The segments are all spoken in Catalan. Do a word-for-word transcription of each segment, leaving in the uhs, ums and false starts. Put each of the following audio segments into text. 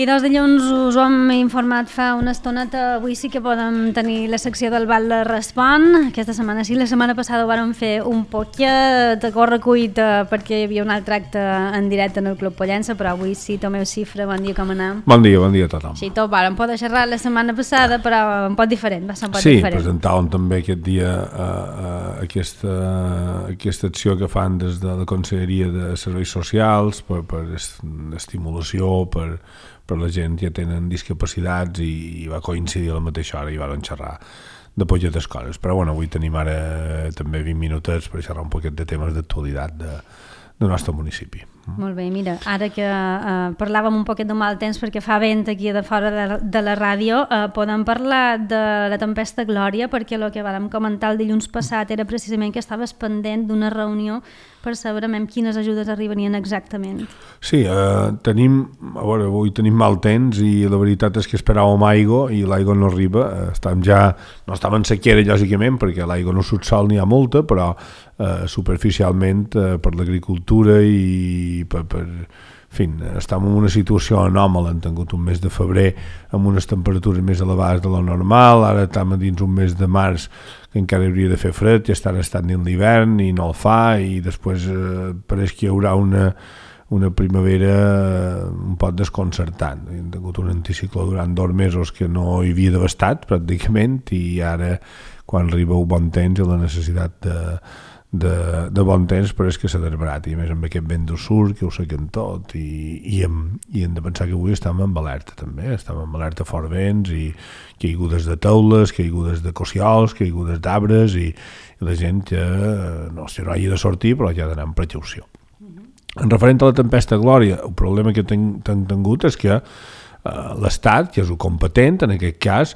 I dos dilluns us ho hem informat fa una estoneta, avui sí que podem tenir la secció del Batlle Respon. Aquesta setmana sí, la setmana passada ho vàrem fer un poquet a correcuita perquè hi havia un altre acte en directe en el Club Pollença, però avui sí, Tomeu Cifra, bon dia, com anem? Bon dia, bon dia a tothom. Sí, tot vàrem poder xerrar la setmana passada, però un poc diferent, va ser un poc sí, diferent. Sí, presentàvem també aquest dia uh, uh, aquesta, aquesta acció que fan des de la Conselleria de Serveis Socials per, per estimulació, per per la gent que tenen discapacitats i, i va coincidir a la mateixa hora i van xerrar de poquetes coses. Però bueno, avui tenim ara també vint minutets per xerrar un poquet de temes d'actualitat de, del nostre municipi. Molt bé, mira, ara que eh, parlàvem un poquet de mal temps perquè fa vent aquí de fora de, de la ràdio, eh, podem parlar de la tempesta Glòria, perquè el que vam comentar el dilluns passat era precisament que estaves pendent d'una reunió per saber amb quines ajudes arribarien exactament. Sí, eh, tenim, a veure, avui tenim mal temps i la veritat és que esperàvem aigua i l'aigua no arriba. Estem ja, no estem en sequera, lògicament, perquè l'aigua no surt sol n'hi ha molta, però eh, superficialment eh, per l'agricultura i per, per en fi, estem en una situació anòmala. Hem tingut un mes de febrer amb unes temperatures més elevades de lo normal, ara estem dins un mes de març que encara hauria de fer fred, ja estan estant dins l'hivern i no el fa, i després eh, pareix que hi haurà una, una primavera un poc desconcertant. Hem tingut un anticicló durant dos mesos que no hi havia devastat pràcticament, i ara quan arriba un bon temps i la necessitat de De, de bon temps pareix que s'ha desbarat, i a més amb aquest vent del sud que ho sequen tot, i, i, hem, i hem de pensar que avui estem en alerta també, estem en alerta fort vents i caigudes de teules, caigudes de cociols, caigudes d'arbres, i, i la gent ja no, si no hagi de sortir però ja ha d'anar amb precaució. Uh-huh. En referent a la tempesta Glòria, el problema que hem tingut és que eh, l'Estat, que és el competent en aquest cas,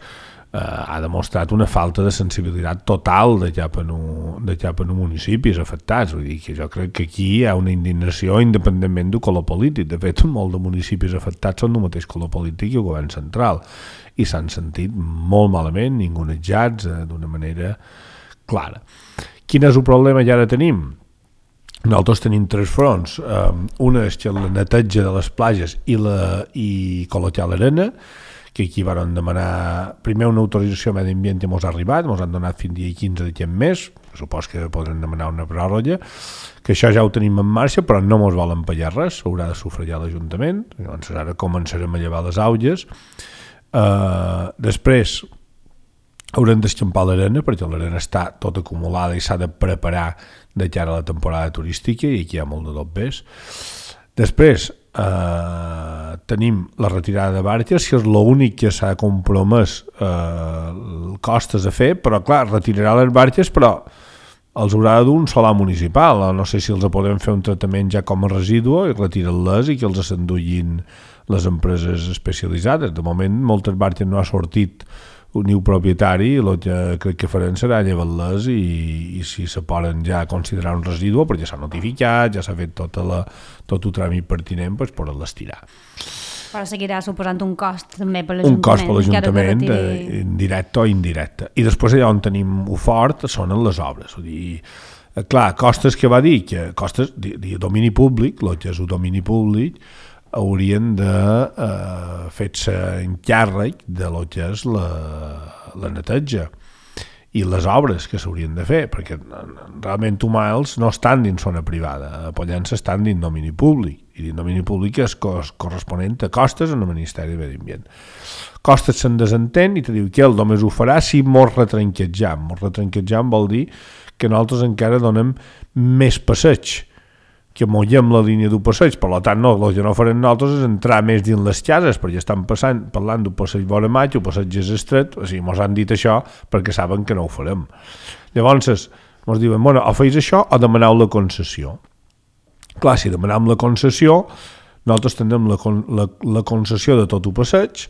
Uh, ha demostrat una falta de sensibilitat total de cap en un, de cap en un municipis afectats. Vull dir que jo crec que aquí hi ha una indignació independentment del color polític. De fet, molts de municipis afectats són del mateix color polític i el govern central, i s'han sentit molt malament, ningunejats uh, d'una manera clara. Quin és el problema que ara tenim? Nosaltres tenim tres fronts. Uh, una és que la neteja de les platges i, la, i col·locar l'arena, que aquí van demanar primer una autorització a Medi Ambient que ens ha arribat, ens han donat fins dia quinze d'aquest mes, supos que podran demanar una pròrroga, que això ja ho tenim en marxa, però no ens volen pagar res, s'haurà de sufragar l'Ajuntament, llavors ara començarem a llevar les aulles. Uh, després haurem d'escampar l'arena, perquè l'arena està tot acumulada i s'ha de preparar de cara a la temporada turística, i aquí hi ha molt de dobbers. Després Uh, tenim la retirada de barques, que és l'únic que s'ha compromès uh, costes a fer, però clar, retirarà les barques, però els haurà d'un solar municipal. No sé si els podem fer un tractament ja com a residu i retirar-les i que els s'enduguin les empreses especialitzades. De moment moltes barques no ha sortit un new propietari, el que crec que farem serà llevar-les i, i si se poden ja considerar un residu, perquè s'ha notificat, ja s'ha fet tota la, tot el tràmit pertinent, doncs poder-les tirar. Però seguirà suposant un cost també per l'Ajuntament. Un cost per l'Ajuntament, retiri... indirecte o indirecte. I després allà on tenim ho fort són en les obres. Vull dir, clar, costes que va dir, que costes de, de domini públic, el que és el domini públic, haurien de eh, fer-se encàrrec de lo que és la, la neteja i les obres que s'haurien de fer, perquè realment Humals no estan dins zona privada, a Pollença estan dins domini públic, i dins domini públic és cos, corresponent a costes en el Ministeri de Medi Ambient. Costes se'n desentén i te diu que ell només ho farà si mos retranquetjam. Mos retranquetjam vol dir que nosaltres encara donem més passeig, que mollem la línia d'un passeig. Per tant, no, el que no farem nosaltres és entrar més dins les cases, perquè estan passant, parlant d'un passeig vora maig, un passeig és estret, o sigui, ens han dit això perquè saben que no ho farem. Llavors, ens diuen, bueno, o feis això o demaneu la concessió. Clar, si demanem la concessió, nosaltres tindrem la, la, la concessió de tot el passeig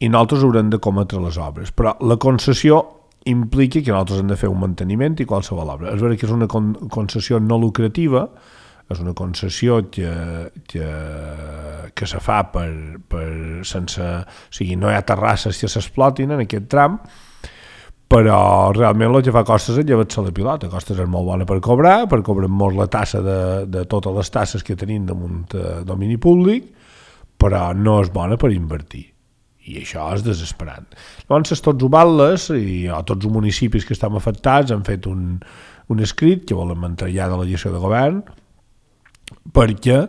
i nosaltres haurem de cometre les obres. Però la concessió implica que nosaltres hem de fer un manteniment i qualsevol obra. És veritat que és una con- concessió no lucrativa, és una concessió que, que, que se fa per, per sense... O sigui, no hi ha terrasses que s'explotin en aquest tram, però realment el que fa Costes és llevar-se la pilota. Costes és molt bona per cobrar, per cobrar molt la tassa de, de totes les tasses que tenim damunt de domini públic, però no és bona per invertir. I això és desesperant. Llavors, tots ho batlles i o tots els municipis que estan afectats han fet un, un escrit que volen entregar de la gestió de govern perquè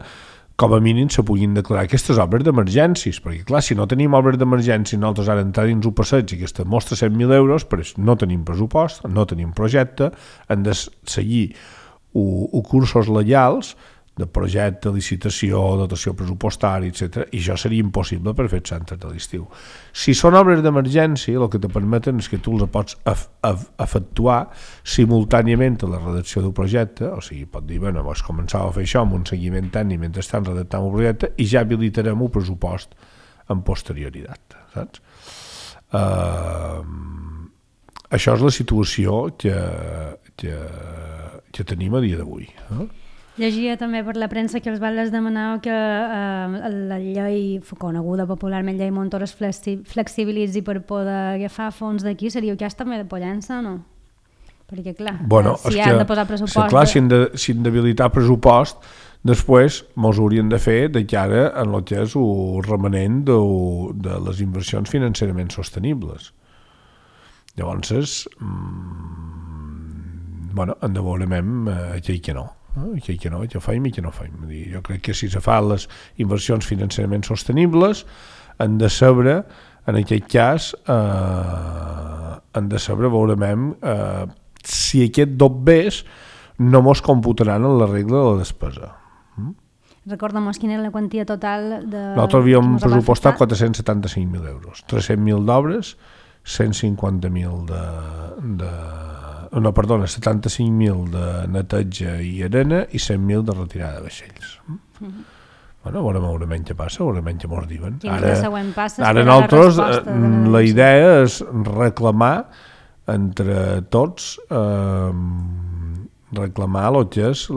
com a mínim se puguin declarar aquestes obres d'emergències, perquè clar, si no tenim obres d'emergència nosaltres ara entrar dins un passeig i aquesta mostra cent mil euros, però no tenim pressupost, no tenim projecte, hem de seguir o, o cursos legals de projecte, licitació, dotació pressupostària, etcètera, i això seria impossible per fer centres de l'estiu. Si són obres d'emergència, el que te permeten és que tu les pots efectuar simultàniament a la redacció del projecte, o sigui, pot dir, bueno, doncs començava a fer això amb un seguiment tècnic mentre estan redactant el projecte i ja habilitarem el pressupost en posterioritat, saps? Uh, això és la situació que, que, que tenim a dia d'avui, eh? Llegia també per la premsa que els batlles demanava que eh, la llei coneguda popularment llei Montoro es flexi flexibilitzi per poder agafar fons d'aquí. Seria el cas també de Pollença, no? Perquè clar, bueno, si han de posar pressupost... És clar, si han de, si han d'habilitar pressupost, després mos haurien de fer de cara en el que és el remanent de, de les inversions financerament sostenibles. Llavors, mmm, bueno, en de veurem eh, que, que no. Que, que no, que faim i que no faim. Jo crec que si se fan les inversions financerament sostenibles han de saber, en aquest cas eh, han de saber, veurem eh, si aquest dobbers no mos computaran en la regla de la despesa. Mm? Recorda'm quina era la quantia total de... Nosaltres havíem pressupostat quatre-cents setanta-cinc mil euros, tres-cents mil d'obres, cent cinquanta mil de... de no, perdona, setanta-cinc mil de neteja i arena i cent mil de retirada de vaixells. Mm-hmm. Bueno, veurem, veurem què passa, veurem què mos diuen. Ara, passa, ara nosaltres la, la idea és reclamar entre tots eh, reclamar el que és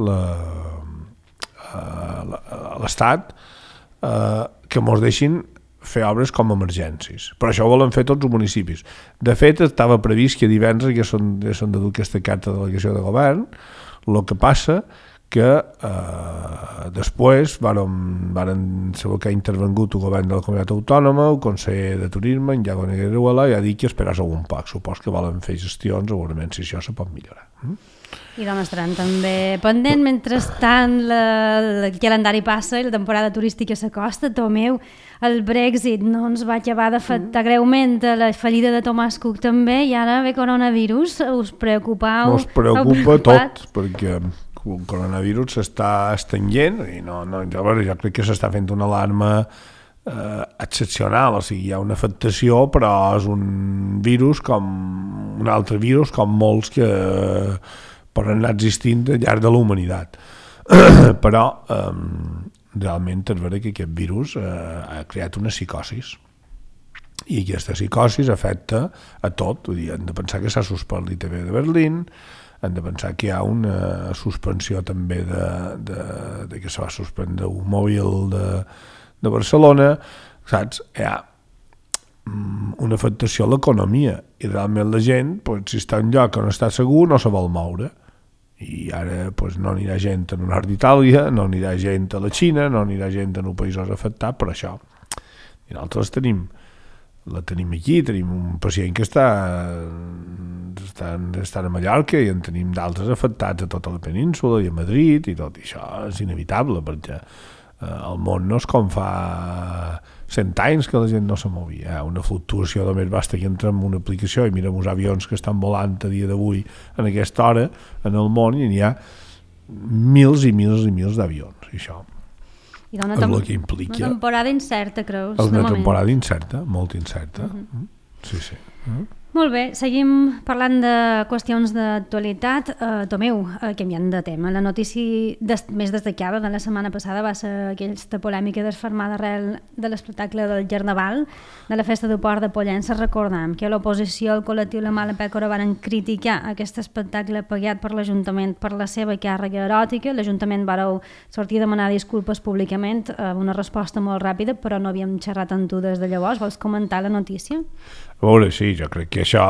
l'Estat eh, que mos deixin fer obres com a emergències. Però això ho volen fer tots els municipis. De fet, estava previst que divendres ja són, ja són de dur aquesta carta de delegació de govern, el que passa que eh, després varen, varen saber que ha intervengut el govern de la comunitat autònoma, el conseller de turisme, en Iago Negreruela, i ha dit que esperàs algun poc. Supos que volen fer gestions, segurament si això se pot millorar. Mm? I doncs estaran també pendent, mentrestant la, el calendari passa i la temporada turística s'acosta. Tomeu, el Brexit no ens va acabar d'afectar greument, la fallida de Thomas Cook també, i ara ve coronavirus, us preocupau? Us preocupa tot, perquè el coronavirus s'està estenent i no, no, jo, jo crec que s'està fent una alarma eh, excepcional, o sigui, hi ha una afectació, però és un virus com un altre virus, com molts que eh, poden anar existint al llarg de la humanitat. Però eh, realment és vera que aquest virus eh, ha creat una psicosis i aquesta psicosis afecta a tot. Vull dir, hem de pensar que s'ha suspès l'I T V de Berlín, hem de pensar que hi ha una suspensió també de, de, de que se va suspendre un mòbil de, de Barcelona, saps? Hi ha una afectació a l'economia i realment la gent, pues, si està en lloc on està segur, no se vol moure. I ara pues, no anirà gent al nord d'Itàlia, no anirà gent a la Xina, no anirà gent en els països afectats per això. I nosaltres tenim, la tenim aquí, tenim un pacient que està, està, està a Mallorca i en tenim d'altres afectats a tota la península i a Madrid i tot, i això és inevitable perquè eh, el món no és com fa cent anys que la gent no se movia. Hi ha una fluctuació de més basta que entra en una aplicació i mirem els avions que estan volant a dia d'avui en aquesta hora en el món i n'hi ha mils i mils i mils d'avions. I això I és el que implica... Una temporada incerta, creus? És una temporada incerta, molt incerta. Uh-huh. Sí, sí. Uh-huh. Molt bé, seguim parlant de qüestions d'actualitat. Uh, Tomeu, uh, canviant de tema, la notícia des més destacada de la setmana passada va ser aquesta polèmica desfermada arrel de l'espectacle del Carnaval de la Festa del Port de Pollença. Recordem que l'oposició al col·lectiu La Mala Pècora van criticar aquest espectacle pagat per l'Ajuntament per la seva càrrega eròtica. L'Ajuntament va sortir a demanar disculpes públicament, uh, una resposta molt ràpida, però no havíem xerrat amb tu des de llavors. Vols comentar la notícia? A veure, sí, jo crec que això,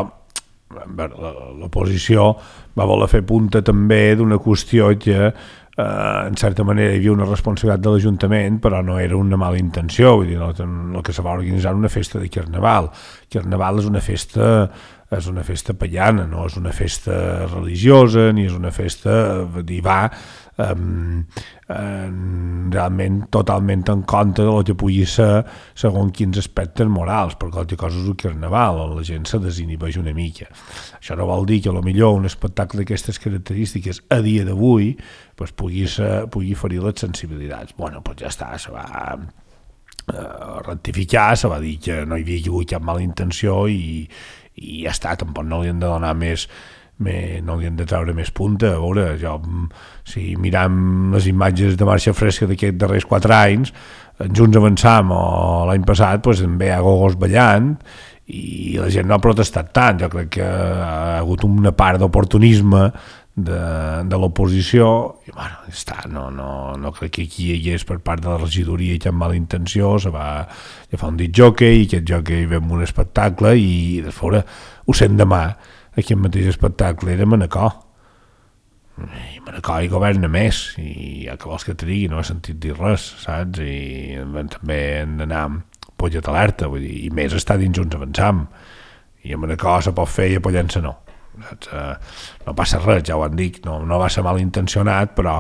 l'oposició va voler fer punta també d'una qüestió que Uh, en certa manera hi havia una responsabilitat de l'Ajuntament, però no era una mala intenció, vull dir, no, el que se va organitzar una festa de Carnaval. Carnaval és una festa és una festa pagana, no és una festa religiosa, ni és una festa, vull dir, va um, um, realment totalment en contra del que pugui ser segons quins aspectes morals, perquè altra cosa és un Carnaval, on la gent se desinhibeix una mica. Això no vol dir que potser un espectacle d'aquestes característiques a dia d'avui pues, pugui, ser, pugui ferir les sensibilitats. Bueno, doncs ja està, se va uh, rectificar, se va dir que no hi havia hagut cap mala intenció i i ja està, tampoc no li hem de donar més, més no li hem de treure més punta. A veure, jo, si miram les imatges de marxa fresca d'aquests darrers quatre anys, Junts Avançam o l'any passat pues, en ve a gogos ballant i la gent no ha protestat tant. Jo crec que ha hagut una part d'oportunisme de, de l'oposició i bueno, ja està, no, no, no crec que aquí hi hagués per part de la regidoria cap mala intenció, se va ja fa un dit jockey i aquest jockey ve amb un espectacle i de fora ho sent demà, aquest mateix espectacle era Manacor i Manacor hi governa més i ja que vols que et digui no he sentit dir res, saps? I també hem d'anar pollet alerta, vull dir, i més està dins Junts Avançam i a Manacor se pot fer i a Pollença no. No passa res, ja ho han dit, no, no va ser malintencionat, però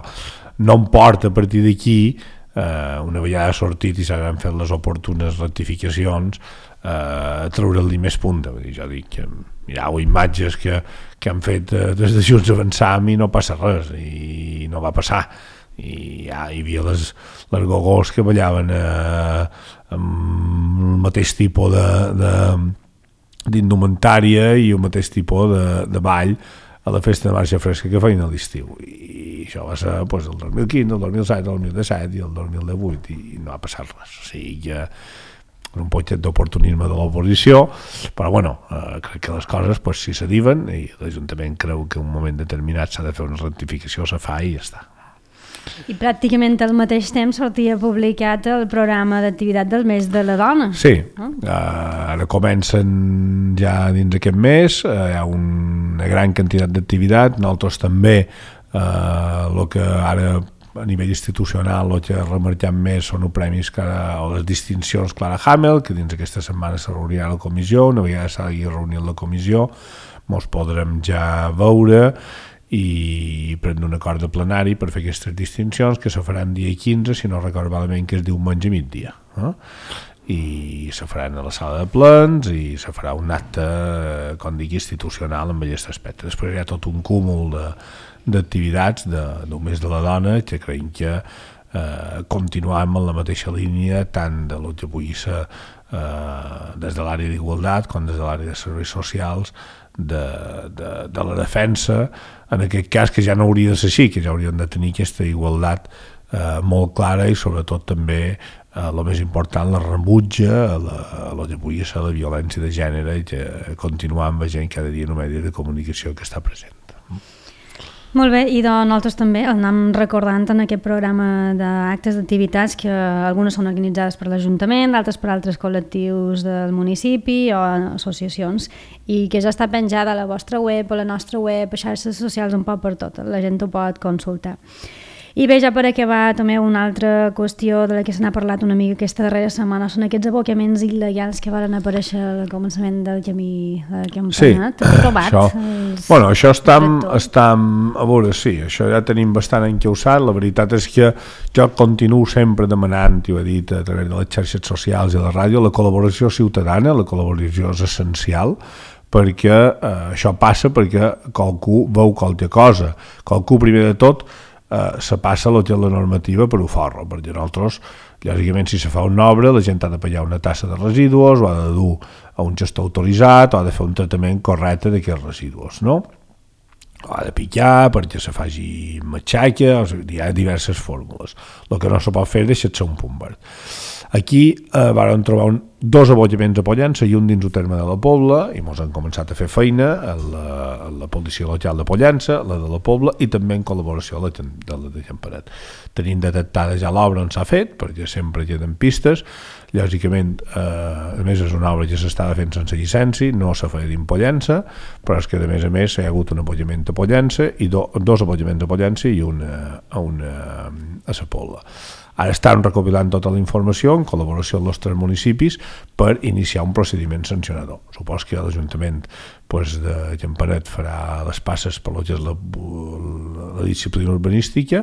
no em porta a partir d'aquí, eh, una vegada sortit i s'han fet les oportunes rectificacions, eh, a treure-li més punta. Vull dir, jo dic que mireu imatges que, que han fet eh, des de Junts Avançam i no passa res, i no va passar. I ja hi havia les, les gogós que ballaven eh, amb el mateix tipus de... de d'indumentària i el mateix tipus de, de ball a la festa de marxa fresca que feien a l'estiu i això va ser pues, el dos mil quinze, el dos mil set, el dos mil disset i el dos mil divuit i no ha passat res, o sigui que un poquet d'oportunisme de l'oposició, però bueno, eh, crec que les coses pues, si s'adiven i l'Ajuntament creu que en un moment determinat s'ha de fer una rectificació, se fa i ja està. I pràcticament al mateix temps sortia publicat el programa d'activitat del mes de la dona. Sí, oh. uh, ara comencen ja dins aquest mes, uh, hi ha una gran quantitat d'activitat, nosaltres també el uh, que ara a nivell institucional el que remarquem més són els premis que, o les distincions Clara Hamel, que dins aquesta setmana se reunirà a la comissió, una vegada s'hagi reunit la comissió, mos podrem ja veure i prendre un acord de plenari per fer aquestes distincions que se faran dia quinze, si no recordo malament que es diu diumenge a migdia, eh? I se faran a la sala de plens i se farà un acte, com dic, institucional amb aquest aspecte. Després hi ha tot un cúmul d'activitats de, del mes de la dona que creiem que eh, continuem en la mateixa línia tant de lo que pugui ser eh, des de l'àrea d'igualtat com des de l'àrea de serveis socials de, de, de la defensa, en aquest cas que ja no hauria de ser així, que ja hauríem de tenir aquesta igualtat eh, molt clara i sobretot també eh, el més important, la rebutja a la, a la que pugui ser la violència de gènere i que continuem veient cada dia en un medi de comunicació que està present. Molt bé, i doncs nosaltres també el anem recordant en aquest programa d'actes d'activitats que algunes són organitzades per l'Ajuntament, d'altres per altres col·lectius del municipi o associacions i que ja està penjada a la vostra web, a la nostra web, a xarxes socials, un poc per tot, la gent ho pot consultar. I bé, ja per acabar també una altra qüestió de la que se n'ha parlat una mica aquesta darrera setmana són aquests abocaments il·legals que van aparèixer al començament del camí del campionat. Sí, això, bueno, això està, està, a veure, sí, això ja tenim bastant encausat, la veritat és que jo continuo sempre demanant, i ho he dit a través de les xarxes socials i la ràdio, la col·laboració ciutadana, la col·laboració és essencial, perquè eh, això passa perquè qualcú veu qualque cosa, qualcú primer de tot Uh, se passa el que és la normativa per ho forro, perquè nosaltres, lògicament, si se fa una obra, la gent ha de pagar una tassa de residus, o ha de dur a un gestor autoritzat, o ha de fer un tractament correcte d'aquests residus, no? O ha de picar perquè se faci matxaca, o sigui, hi ha diverses fórmules. El que no se pot fer és deixar-se un punt verd. Aquí eh, vam trobar un, dos abollaments a Pollença i un dins el terme de la Pobla, i mos han començat a fer feina a la, a la policia local de Pollença, la de la Pobla, i també en col·laboració a la de la de Campanet. Tenim detectada ja l'obra on s'ha fet, perquè sempre queden pistes. Lògicament, eh, a més és una obra que s'estava fent sense llicència, no s'ha fet dins Pollença, però és que a més a més hi ha hagut un abollament a Pollença i do, dos abollaments a Pollença i un a, una, a la Pobla. Ara estan recopilant tota la informació en col·laboració amb els tres municipis per iniciar un procediment sancionador. Supos que l'Ajuntament pues, de Campanet farà les passes per lo que és la, la disciplina urbanística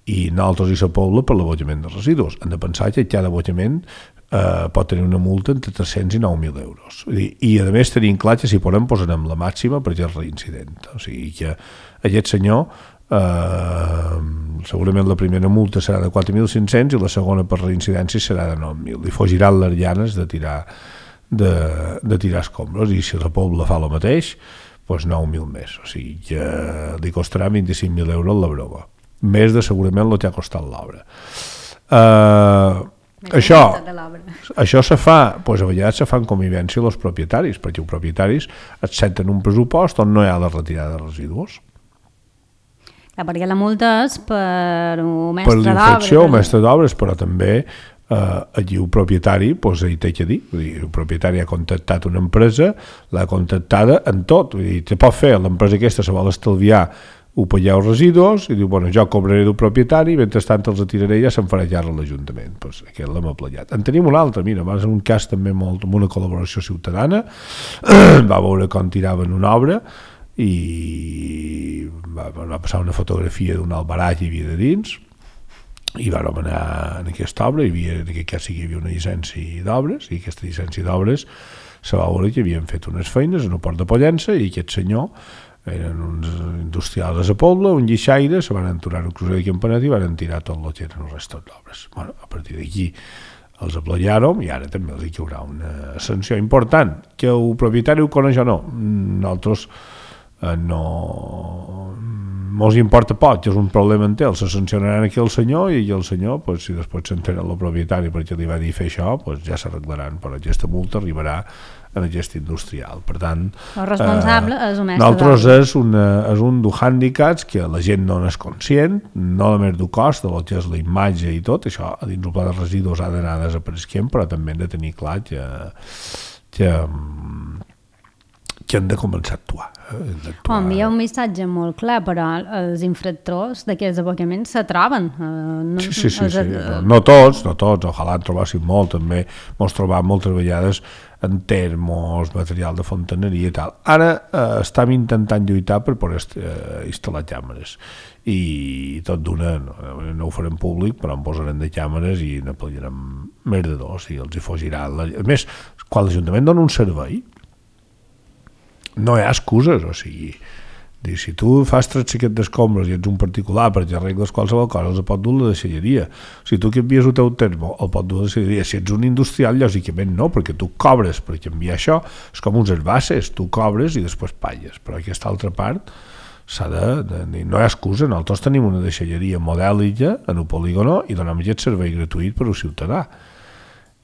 i nosaltres i la Pobla per l'abollament de residus. Hem de pensar que cada abollament eh, pot tenir una multa entre tres-cents i nou mil euros. I, i a més tenim clar que si podem posarem la màxima perquè és reincident. O sigui que aquest senyor Uh, segurament la primera multa serà de quatre mil cinc-cents i la segona per reincidència serà de nou mil. Li fogiran les llanes de tirar de, de tirar escombros, i si la Pobla fa el mateix, doncs nou mil més. O sigui que li costarà vint-i-cinc mil euros la broma, més de segurament el que ha costat l'obra. Uh, això això se fa, doncs a vegades se fa en convivència amb els propietaris, perquè els propietaris accepten un pressupost on no hi ha la retirada de residus. Ja, perquè la multa és per un mestre d'obres. Per l'infracció, un mestre d'obres, però també eh, allí el propietari pues, hi té que dir. Vull dir, el propietari ha contactat una empresa, l'ha contactada en tot. Vull dir, te pot fer, l'empresa aquesta se vol estalviar ho pagar els residus i diu, bueno, jo cobraré del propietari i mentrestant els atiraré i ja se'n farà llarg a l'Ajuntament. Pues, aquest l'hem aplegat. En tenim un altre, mira, és un cas també molt, amb una col·laboració ciutadana, va veure com tiraven una obra i va, va passar una fotografia d'un albarà que hi havia de dins i vam anar en aquesta obra, hi havia, en aquest cas sí que hi havia una llicència d'obres, i aquesta llicència d'obres se va veure que havien fet unes feines en el port de Pollença i aquest senyor eren uns industrials a la Pobla, un guixaire, se van aturar el crucer de Campanet i van tirar tot el que eren els restos d'obres. Bueno, a partir d'aquí els aplegàrem i ara també els hi haurà una sanció important, que el propietari ho coneix o no. Nosaltres eh, no mos importa poc, és un problema en ell, se sancionaran aquí el senyor i el senyor, pues, si després s'entera el propietari perquè li va dir fer això, pues, ja s'arreglaran, però aquesta multa arribarà en aquest industrial. Per tant, el responsable eh, és un mestre nosaltres és, una, és un dels hàndicaps que la gent no n'és conscient, no només del cost, de lo que és la imatge i tot, això a dins el pla de residus ha d'anar desapareixent, però també hem de tenir clar que, que, que hem de començar a actuar. Eh? Oh, hi ha un missatge molt clar, però els infractors d'aquests abocaments se troben. Eh, no, sí, sí, sí, sí. No, no tots, no tots, ojalà en trobéssim molt, també mos trobam moltes vegades en termos, material de fontaneria i tal. Ara eh, estem intentant lluitar per poder eh, instal·lar càmeres i tot d'una, no, no ho farem públic, però en posarem de càmeres i n'aplegarem més de dos i els hi fogiran. A més, quan l'Ajuntament dona un servei no hi ha excuses, o sigui, si tu fas tres xiquets d'escombres i ets un particular perquè arregles qualsevol cosa, els pot dur la deixalleria. Si tu canvies el teu termo, el pot dur la deixalleria. Si ets un industrial, lògicament no, perquè tu cobres per canviar això. És com uns herbasses, tu cobres i després pagues. Però aquesta altra part s'ha de, de, de... No hi ha excusa, nosaltres tenim una deixalleria modèlica en el polígono i donem aquest servei gratuït per al ciutadà.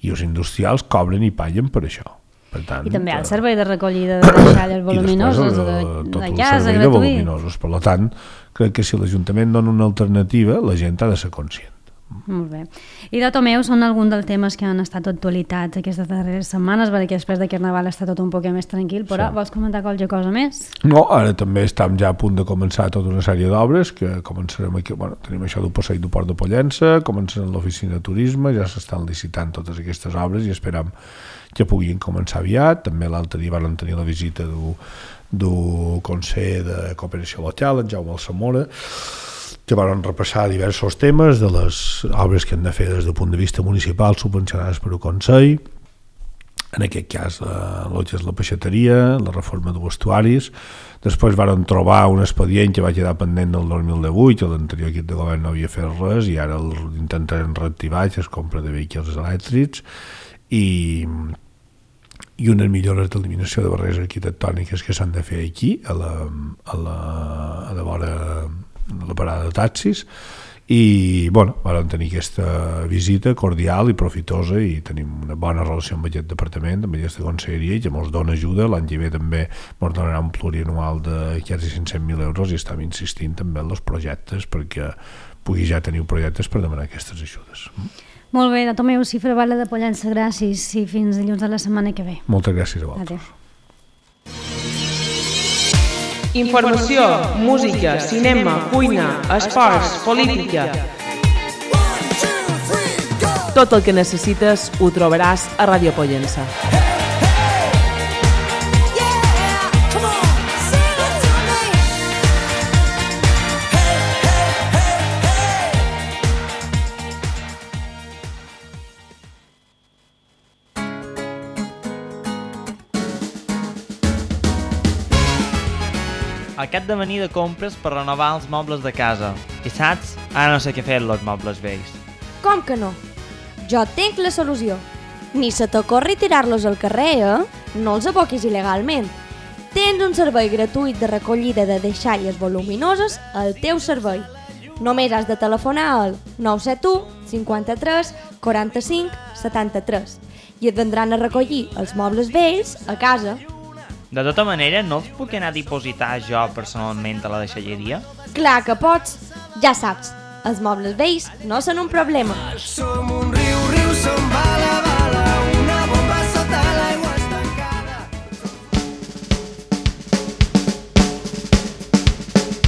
I els industrials cobren i paguen per això. Per tant, i també hi ha el servei de recollida de deixalles voluminoses de, de, de casa gratuït. Per tant, crec que si l'Ajuntament dona una alternativa, la gent ha de ser conscient. Molt bé. I de Tomeu són alguns dels temes que han estat actualitats aquestes darreres setmanes, perquè després de Carnaval està tot un poc més tranquil, però sí. Vols comentar qualque cosa més? No, ara també estem ja a punt de començar tota una sèrie d'obres, que començarem aquí, bueno, tenim això del passeig del Port de Pollença, començarem l'oficina de turisme, ja s'estan licitant totes aquestes obres i esperam que puguin començar aviat. També l'altre dia van tenir la visita del, del Consell de Cooperació Local, en Jaume Alsamora, que van repassar diversos temes de les obres que han de fer des del punt de vista municipal subvencionades per el Consell, en aquest cas el que és la peixateria, la reforma de vestuaris. Després van trobar un expedient que va quedar pendent del dos mil divuit, que l'anterior equip de govern no havia fet res i ara intentarem reactivar, que és compra de vehicles elèctrics i i unes millores d'eliminació de barreres arquitectòniques que s'han de fer aquí a la, a la, a la vora de la parada de taxis i bueno, vam tenir aquesta visita cordial i profitosa i tenim una bona relació amb aquest departament, amb aquesta conselleria, i que ens dona ajuda. L'any que ve també ens donarà un plurianual de quasi cinc-cents mil euros i estem insistint també en els projectes perquè pugui ja tenir projectes per demanar aquestes ajudes. Molt bé, de Tomeu Cifra, Vale de Pollença, gràcies i fins dilluns de la setmana que ve. Moltes gràcies a vosaltres. Adéu. Informació, música, cinema, cuina, esports, política. Tot el que necessites ho trobaràs a Ràdio Pollença. Aquest de venir de compres per renovar els mobles de casa. I saps? Ara no sé què fer amb els mobles vells. Com que no? Jo tinc la solució. Ni se t'ocorri tirar-los al carrer, eh? No els aboquis il·legalment. Tens un servei gratuït de recollida de deixalles voluminoses al teu servei. Només has de telefonar al nou set u cinquanta-tres quaranta-cinc setanta-tres i et vendran a recollir els mobles vells a casa. De tota manera, no els puc anar a dipositar jo personalment a la deixalleria? Clar que pots. Ja saps, els mobles vells no són un problema.